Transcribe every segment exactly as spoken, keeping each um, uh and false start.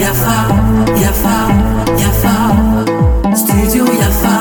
Yafa, Yafa, Yafa, Studio Yafa.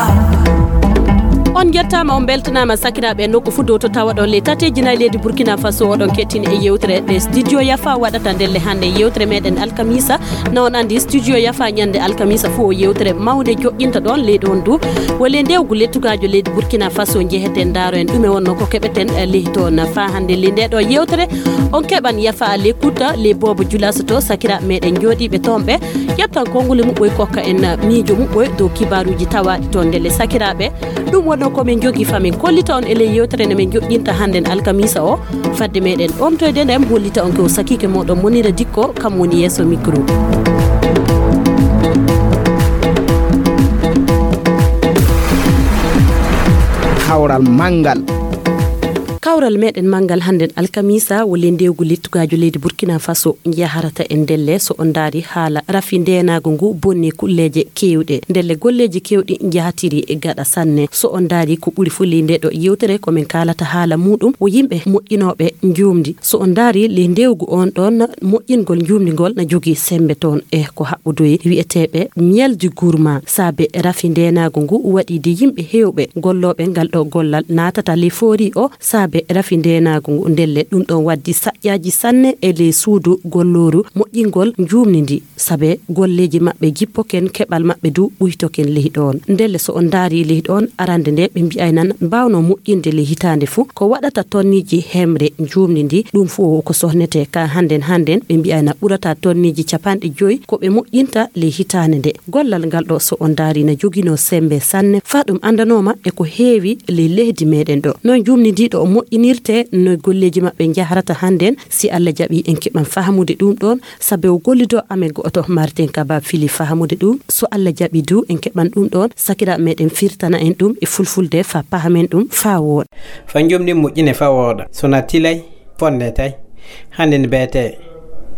On njettaama, on mbeltanaama, sakiraaɓe, nokku fuu dow to tawaɗon le tateeji nayi leydi Burkina Faso, oɗon kettini e yewtere nde Studio Yafa waɗata ndelle hannde. Yewtere meɗen alkamisa, na on anndi Studio Yafa ñande alkamisa fuu o yewtere mawnde joƴƴinta ɗon leydi on du. Wole ndewgu lettugaajo leydi Burkina Faso njeheten ndaaro en ɗume wonno ko keɓeten, eh, leydi toon. Faa hannde le nde ɗo yewtere, on keɓan Yafa le kuta le boobo julaso to sakiraaɓe meɗen jooɗiiɓe toon ɓe. Ƴettan konnguli muɓɓoy kokka en miijo muɓɓoy dow kibaaruuji tawaaɗi toon ndelle sakiraaɓe. Ɗum wonno ko min njogii faa min kollita on e ley yewtere nde min joƴƴinta hannden alkamiisa o. Fadde meɗen omtoyde nde, mi hollita on ko sakiike mooɗon Monira Dikko, kam woni yeeso micro. Kawral manngal. Kawral meɗen manngal hannden alkamiisa wole ndewgu lettugaajo leydi Burkina Faso njaharata e ndelle so on ndaari haala rafi ndeenaagu ngu bonni kulleeje keewɗe. Ndelle golleeji keewɗi njahatiri e gaɗa sanne. So on ndaari ko ɓuri fuu ley nde ɗo yewtere ko min kaalata haala muuɗum o yimɓe moƴƴinooɓe njuumndi. So on ndaari ley ndewgu on ɗon moƴƴingol njuumndi ngol na jogii semmbe toon e ko haɓɓodoyi wi'eteeɓe miel du gourmand. Saabe rafi ndeenaagu ngu waɗi de yimɓe heewɓe gollooɓe ngal ɗo gollal naatata ley foori o saabe rafi ndeenaagu ngu. Ndelle ɗum ɗon waddi saƴƴaaji sanne e ley suudu gollooru moƴƴingol njuumndi ndi. Saabe golleeji maɓɓe jippoken, keɓal maɓɓe du ɓuytoken ley ɗon. Ndelle so on ndaari ley ɗon arande nde ɓe mbi'ay nan mbaawnoo moƴƴinde ley hitaande fuu ko waɗata tonniiji hemre njuumndi ndi, ɗum fuu ko sohnetee ka hannden hannden ɓe mbi'ay na ɓurata tonniiji capanɗe joyi ko ɓe moƴƴinta ley hitaande nde. Gollal ngal ɗo so on ndaari na joginoo semmbe sanne faa ɗum anndanooma e ko heewi ley leydi meɗen ɗo. Noy njuumndi ndi ɗo moƴƴinirtee, noy golleeji maɓɓe njaharata hannden, si Alla jaɓi en keɓan fahamude ɗum ɗon. Saabe o gollidoo amen go'oto Martin Kaba fili fahamude ɗum. So Alla jaɓi du en keɓan ɗum ɗon, sakiraaɓe meɗen firtana en ɗum e fulfulde faa pahamen ɗum faa wooɗa. Faa njuumndi moƴƴine faa wooɗa. So na tilay, fonne tay. Hannde ne beetee.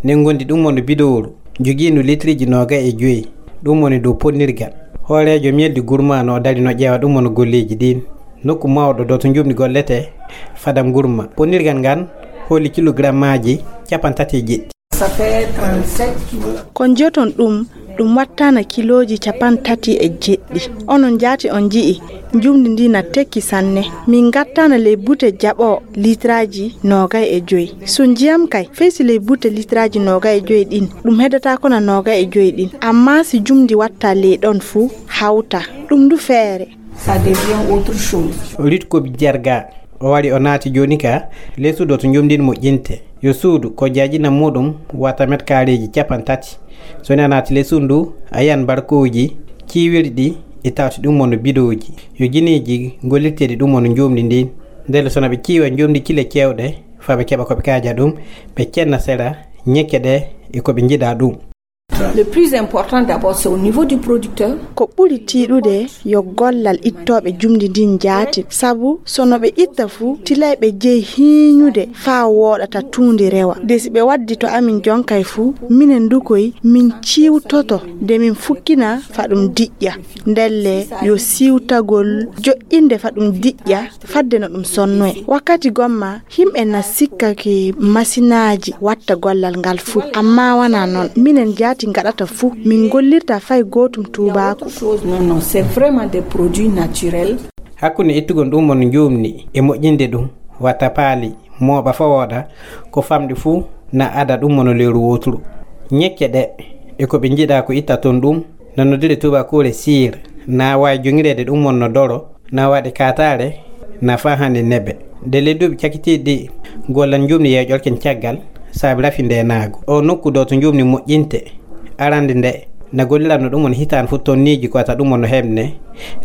Ne ngondi ɗum wonno bidowru. Jogiindu litriiji noogay e joyi. Ɗum woni dow ponnirgal. Hooreejo miel du gourmand no dari no ƴeewa ɗum wonno golleeji ɗin. Nokku mawɗo ɗo to njuumndi golletee, fadam gourmand. Ponnirgal ngal holi kilogrammaaji cappanɗe tati e jeɗɗi. Ça fait trente-sept kilos. Ko njoton ɗum, ɗum wattaana kilooji cappanɗe tati e jeɗɗi. Onon jaati on nji'i, njuumndi ndi na tekki sanne. Min ngattaana ley bute jaɓo litraaji noogay e joyi. So njiyam kay, fey si ley bute litraaji noogay e joyi ɗin, ɗum heddata ko na noogay e joyi ɗin. Ammaa si njuumndi watta ley ɗon fuu, hawta. Ɗum du feere. Ça devient autre chose. Ritko Jarga, o wari o naati jooni ka, ley suudu to njuumndi ndi moƴƴinte. Yo suudu ko jaajina muuɗum wata met kaareeji cappanɗe tati. So ni a naati ley suudu ndu, a yiyan barkooji ciiwirɗi e tawti ɗum wonno bidooji. Yo jineeji gollirteeɗi ɗum wonno njuumndi ndin. Ndelle so na ɓe ciiwa njuumndi cile cewɗe, faa ɓe keɓa ko ɓe kaaja ɗum, ɓe cenna sera, ñekke ɗe e ko ɓe njiɗa ɗum. Le plus important d'abord, c'est au niveau du producteur. Ko ɓuri tiiɗude yo gollal ittooɓe njuumndi ndin njaati, sabu so no ɓe itta fuu, tilay ɓe jeyi hiiñude faa wooɗata tuundi rewa. De si ɓe waddi to amin jonkay fuu, minen du koy min ciiwtoto de min fukkina faa ɗum diƴƴa. Ndelle yo siwtagol joƴƴinde faa ɗum diƴƴa fadde no ɗum sonnoye. Wakkati gomma, yimɓe na sikka ke masinaaji watta gollal ngal fuu, ammaa wanaa non. Minen jaati ngaɗata fuu, min ngollirta fay gootum tuubaaku. Chose, non, non, c'est vraiment des produits naturels. Hakkunde ittugol ɗum wonno njuumndi e moƴƴinde ɗum, wata paali, mooɓa faa wooɗa, ko famɗi fuu na ada ɗum wonno lewru wooturu. Ñekke ɗe e ko ɓe njiɗa ko itta toon ɗum, na noddire tuubaakoore cire, na waawi joñireede ɗum wonno doro, na waɗi kaataare, na faa hannde nebe. De ley duuɓi cakkitiiɗi ɗi, gollal njuumndi yeeƴorken caggal, saabe rafi ndeenaagu. O nokku ɗo to njuumndi moƴƴinte, arande nde, na golliranno ɗum wonno hitaande fof tonniiji ko wata ɗum wonno heɓne,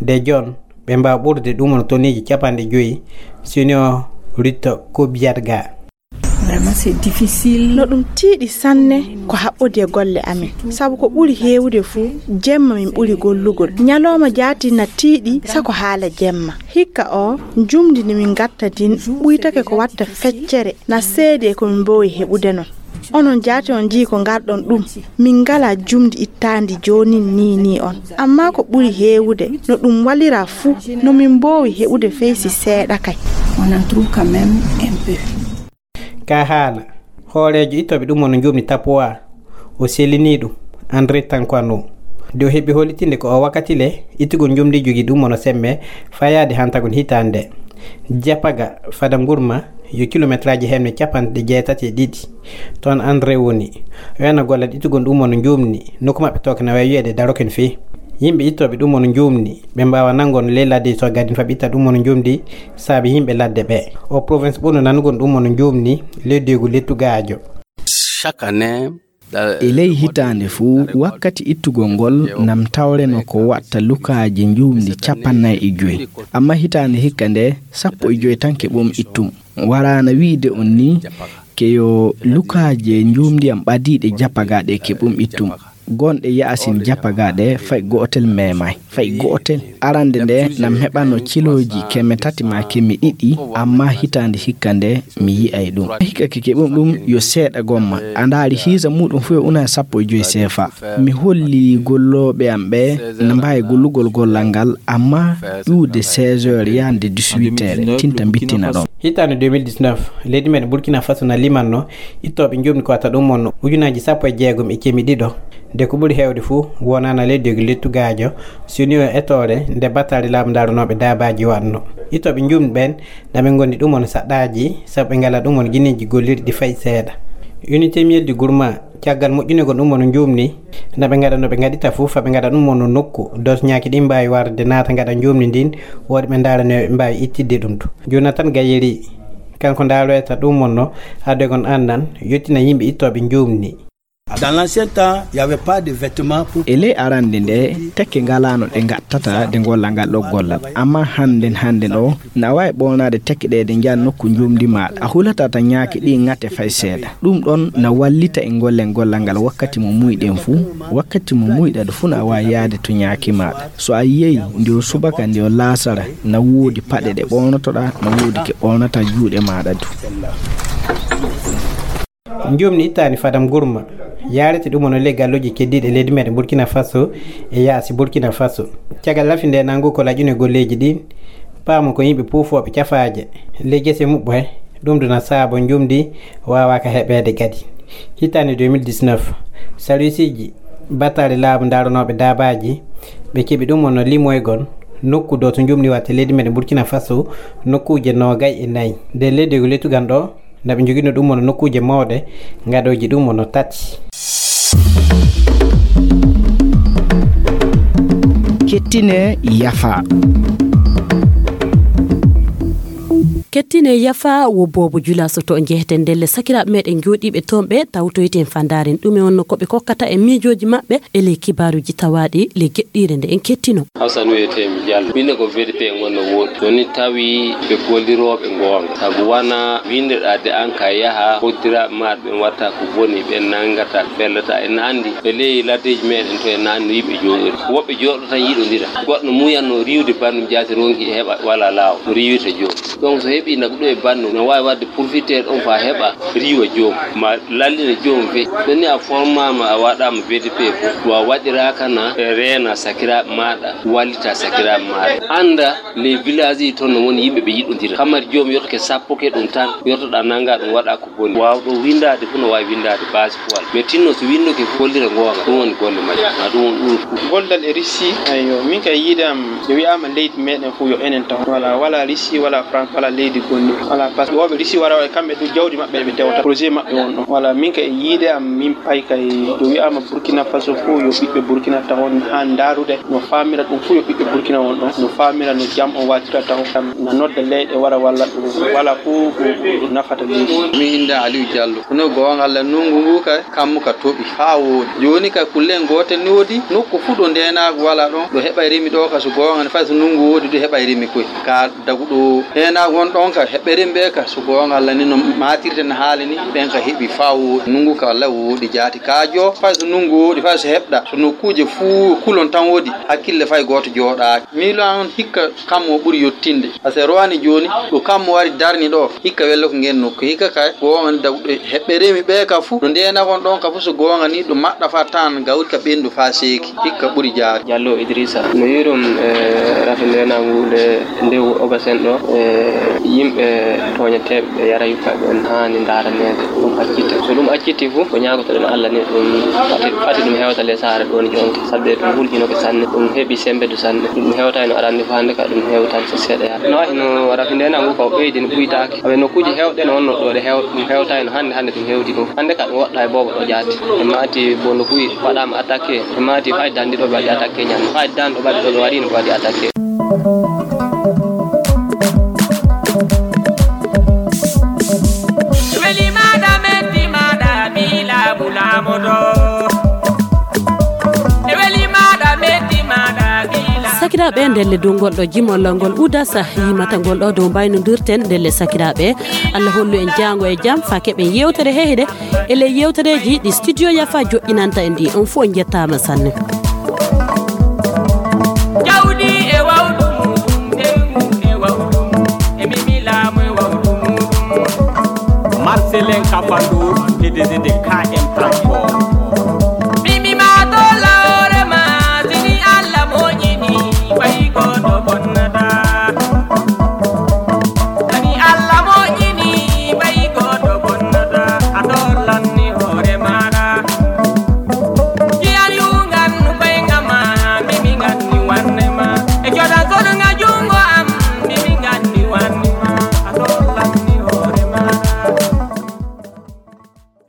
de jooni ɓe mbaawa ɓurde ɗum wonno tonniiji cappanɗe joyi, si woni o ritto ko biyat ga. Vraiment, c'est difficile. No ɗum tiiɗi sanne ko haɓɓodi e golle amin. Sabu ko ɓuri heewude fuu, jemma min ɓuri gollugol. Ñalooma jaati na tiiɗi sako haala jemma. Hikka o, njuumndi ndi min ngatta ndin ɓuytake ko watta feccere, na seedi e ko min mboowi heɓude non. Onon jaati on njii ko ngarɗon ɗum. Min ngalaa njuumndi ittaandi joonin nii nii on. Ammaa ko ɓuri heewude, no ɗum walira fuu, no min mboowi heɓude fey si seeɗa kay. On en trouve quand même un peu. Ka haala, hooreejo ittooɓe ɗum wano njuumndi Tapuwa, o sellinii ɗum, André Tankwano. Nde o heɓi hollitinde ko o wakkati le, ittugol njuumndi jogii ɗum wano semme, fayaade hantagol hitaande. Japaga, fada ngurma, yo kilometraaji hemne capanɗe jeetati e ɗiɗi. Toon André woni. O yana gollal ittugol ɗum wano njuumndi, nokku maɓɓe tooke na wayi wiyeede Daroken fii. Yimɓe ittooɓe ɗum wano njuumndi, ɓe mbaawa nanngoon ley ladde to gadin fa ɓe itta ɗum wano njuumndi, saabi yimɓe ladde ɓe. O province ɓurno nanugol ɗum wano njuumndi, ley deegu lettu gaajo. Chaque année, e ley hitaande fuu, wakkati ittugol ngol, nam tawreno ko watta lukaaji njuumndi capanɗe nayi e joy. Amma hitaande hikka nde, sappo e joy tan keɓum ittum. Waraana wiide on ni, ke yo lukaaje njuumndi am ɓadiiɗe japagaaɗe keɓum ittum. Gonɗe yaasin japagaaɗe fay gootel meemaay. Fay gootel. Arande nde nam heɓano cilooji keme tati maa keme ɗiɗi, amma hitaande hikka nde mi yi'ay ɗum. Hikka ke keɓum ɗum yo seeɗa gomma. A ndaari hiisa muuɗum fuu yo una e sappo e joy seefa. Mi holli gollooɓe am ɓe na mbaawi gollugol gollal ngal, amma ƴuwde seize heures yaande dix-huit heures, tinta mbittina ɗon. Hitaande deux mille dix-neuf, leydi men Burkina Faso na limanno ittooɓe njuumndi ko wata ɗum wonno ujunaaji sappo e jeegom e keme ɗiɗo. Nde ko ɓuri heewde fuu, wonaana ley deegu lettu gaajo, soni o etoore nde battali laamu ndaranooɓe daabaaji waɗno. Ittooɓe njuumndi ɓen, na ɓe ngondi ɗum wano saɗɗaaji, sabu ɓe ngala ɗum wano gineeji gollirɗi fay seeɗa. Unité Miel du Gourma, caggal moƴƴinegol ɗum wano njuumndi, na ɓe ngaɗa no ɓe ngaɗita fuu, fa ɓe ngaɗa ɗum wano nokku, dosñaaki ɗin mbaawi warde naata ngaɗa njuumndi ndin, woodi ɓe ndaarani ɓe mbaawi ittidde ɗum to. Jonathan Gayeri, kanko ndaroyta ɗum wonno, addoygon annan, yottina yimɓe ittooɓe njuumndi. Dans l'ancien temps, il y avait pas de vêtements pour... E ley arande nde, tekke ngalaano ɗe ngattata de golla ngal ɗo gollal. Amma hannden, hannden o, na waawi ɓornaade tekke ɗe de njaha nokku njuumndi maaɗa. A hulataa tan ñaaki ɗi ŋate fay seeɗa. Ɗum ɗon na wallita e gollen gollal ngal wakkati mo muuyɗen fuu. Wakkati mo muuyɗa ɗo fuu na waawi yaade to ñaaki maaɗa. So a yiyey nde o subaka nde o laasara, na woodi paɗe ɗe ɓornotoɗaa, na woodi ke ɓornata juuɗe maaɗa du. Njuumndi ittaani fadam gurma, yaarete ɗum wano ley galluuje keddiiɗe leydi meɗen Burkina Faso e yaasi Burkina Faso. Caggal lafi nde nangu ko laƴune golleeji ɗin, paamu ko yimɓe puufooɓe cafaaje ley gese muɓɓe, ɗum duna saabo njuumndi waawaaka heɓeede kadi. Hitaande deux mille dix-neuf, sarwisiiji battaali laamu ndaranooɓe daabaaji, ɓe keɓi ɗum wano limoygol nokku ɗo to njuumndi watte leydi meɗen Burkina Faso, nokkuuje noogay e nayi. Nde leydi ko lettugal ɗo, na ɓe njogino ɗum wano nokkuuje mawɗe, ngaɗooji ɗum wano tati. Kettine yafa. Kettine yafa wo boobo jula so to njeheten ndelle sakiraaɓe meɗen jooɗiiɓe toon ɓe tawtoyten fandaaren ɗume wonno ko ɓe kokkata e miijooji maɓɓe e ley kibaaruuji tawaaɗi ley geɗɗiire nde en kettino. Hawsa no wiyetee mi Jallo. Min ne ko V D P ngon no woɗɗi. So ni tawi ɓe gollirooɓe goonga. Sabu wona winndeɗaa de an ka yaha, hoddiraaɓe maaɗa ɓen watta ko boni, ɓen nanngata, ɓe fellata. En anndi ɓe ley laddeeji meɗen to en anndi no yimɓe jooɗori. Woɓɓe jooɗo tan yiɗondira. Goɗɗo muyanno riiwde banndum jaati ronki heɓa wala laawol. No riiwirta jooni. Donc so heɓi nagɗo e banndum, no waawi waɗde profiter ɗon faa heɓa riiwa joom, ma lallina joom fe. Ɗon ni a formaama, a waɗaama V D P fof, wa waɗiraaka na e reena sakiraaɓe maaɗa, wallita sakiraaɓe maaɗa. Annda les villages yi toon no woni yimɓe ɓe yiɗondira. Kamar joom yottake sappo ke ɗum tan, yottoɗaa nannga ɗum waɗa ko boni. Waawɗo winndaade fof no waawi winndaade base poil. Mais tinno so winndoke fof gollira goonga, ɗum woni golle majje. Ma ɗum woni ɓuri. Gollal e Russie, ayyo, min kay yiide am, ɓe wi'aama leydi meɗen fof yo enen taw. Wala, wala Russie, wala France, wala leydi gonɗi. Wala, parce que woɓɓe Russie wara e kamɓe ɗum jawdi maɓɓe ɓe tewta. Projet maɓɓe won ɗon. Wala, min kay yiide am, min pay kay, ɓe wi'aama Burkina Faso fof yo ɓiɓɓe Burkina tawon haa ndaarude. No faamira ɗum fof yo ɓiɓɓe Burkina won ɗon. No faamira no jam on waatira taw. Na nodda leyɗe wara walla ɗum. Wala fof ko, ko nafata leydi. Mi innde Aliou Diallo. Kono goonga Alla, ndunngu ngu kay, kammu ka toɓi. Haa wooɗi. Jooni kay kulle en gootel ni woodi. Nokku fuu ɗo ndeenaagu wala ɗon. Ɗo heɓay rimi ɗo ka so goonga ni fay so ndunngu woodi ɗo heɓay rimi koy. Ka dagu ɗo ndeenaagu won ɗon ka heɓɓe rimi ɓe ka so goonga Alla ni no maatirte no haali ni. Ɓen ka heɓi faa wooɗi. Ndunngu ka Alla wooɗi jaati. Ka joo fay so ndunngu wooɗi fay so heɓɗa. So nokkuuje fuu kulon tan woodi. Hakkille fay gooto jooɗaaki. Miilo an hikka kammu o ɓuri yottinde. Parce que rowani jooni, ɗo kammu wari darni ɗo, hikka wello ko ngeen nokku. Hikka kay, ko won dagu ɗo heɓɓe remi ɓe ka fu, ɗo ndeenagon ɗon ka fu so goonga ni, ɗo maɗɗa fa tan gawri ka ɓendu fa seeki. Hikka ɓuri jaari. Diallo Idrissa, no yiɗum, e, rafi ndeenagu nde ndewu ogasen ɗo, e, Yimɓe tooñeteeɓe ɓe yara yukkaɓe ɓen haani ndaaraneede, ɗum accite. So ɗum acciti fu, ko ñaagotoɗen Allah ni ɗum fati, fati ɗum hewta ley saare ɗoon jonta, sabi ɗum hulƴinoke sanne, ɗum heɓi semmbedu sanne. Ɗum hewtayno arande fu, hannde ka ɗum hewtan so seeɗa yaha. No wayi no rafi nde nangu ko ɓeydi no ɓuytaaki. Aɓe nokkuuji heewɗi no wonno ɗo ɗe heew-, ɗum hewtayno hannde, hannde ɗum hewti ɗum. Hannde ka ɗum woɗɗa e boobo ɗo jaati. E maati bondo kuy waɗaama attaqué. E maati fayde dan ɗiɗo ɓe waɗi attaqué ñande. Fayde dan ɗo ɓaɗi ɗo ɓe waɗi no ɓe waɗi attaqué. Sakiraaɓe, ndelle dow ngol ɗo jimol ngol udasa yimata ngol ɗo dow mbaynodirten. Ndelle sakiraaɓe, Allah hollu en jaango e jam faa keɓen yewtere hehde e ley yewtereeji ɗi Studio Yafa joɗɗinanta en ɗi. On fof on njettaama sanne. Jawdi e wawdu muɗum, ɓeyngu e wawdu mum, e mimi laamu e wawdu muɗum. Marcelin Kafandu, P D G de K M Transport.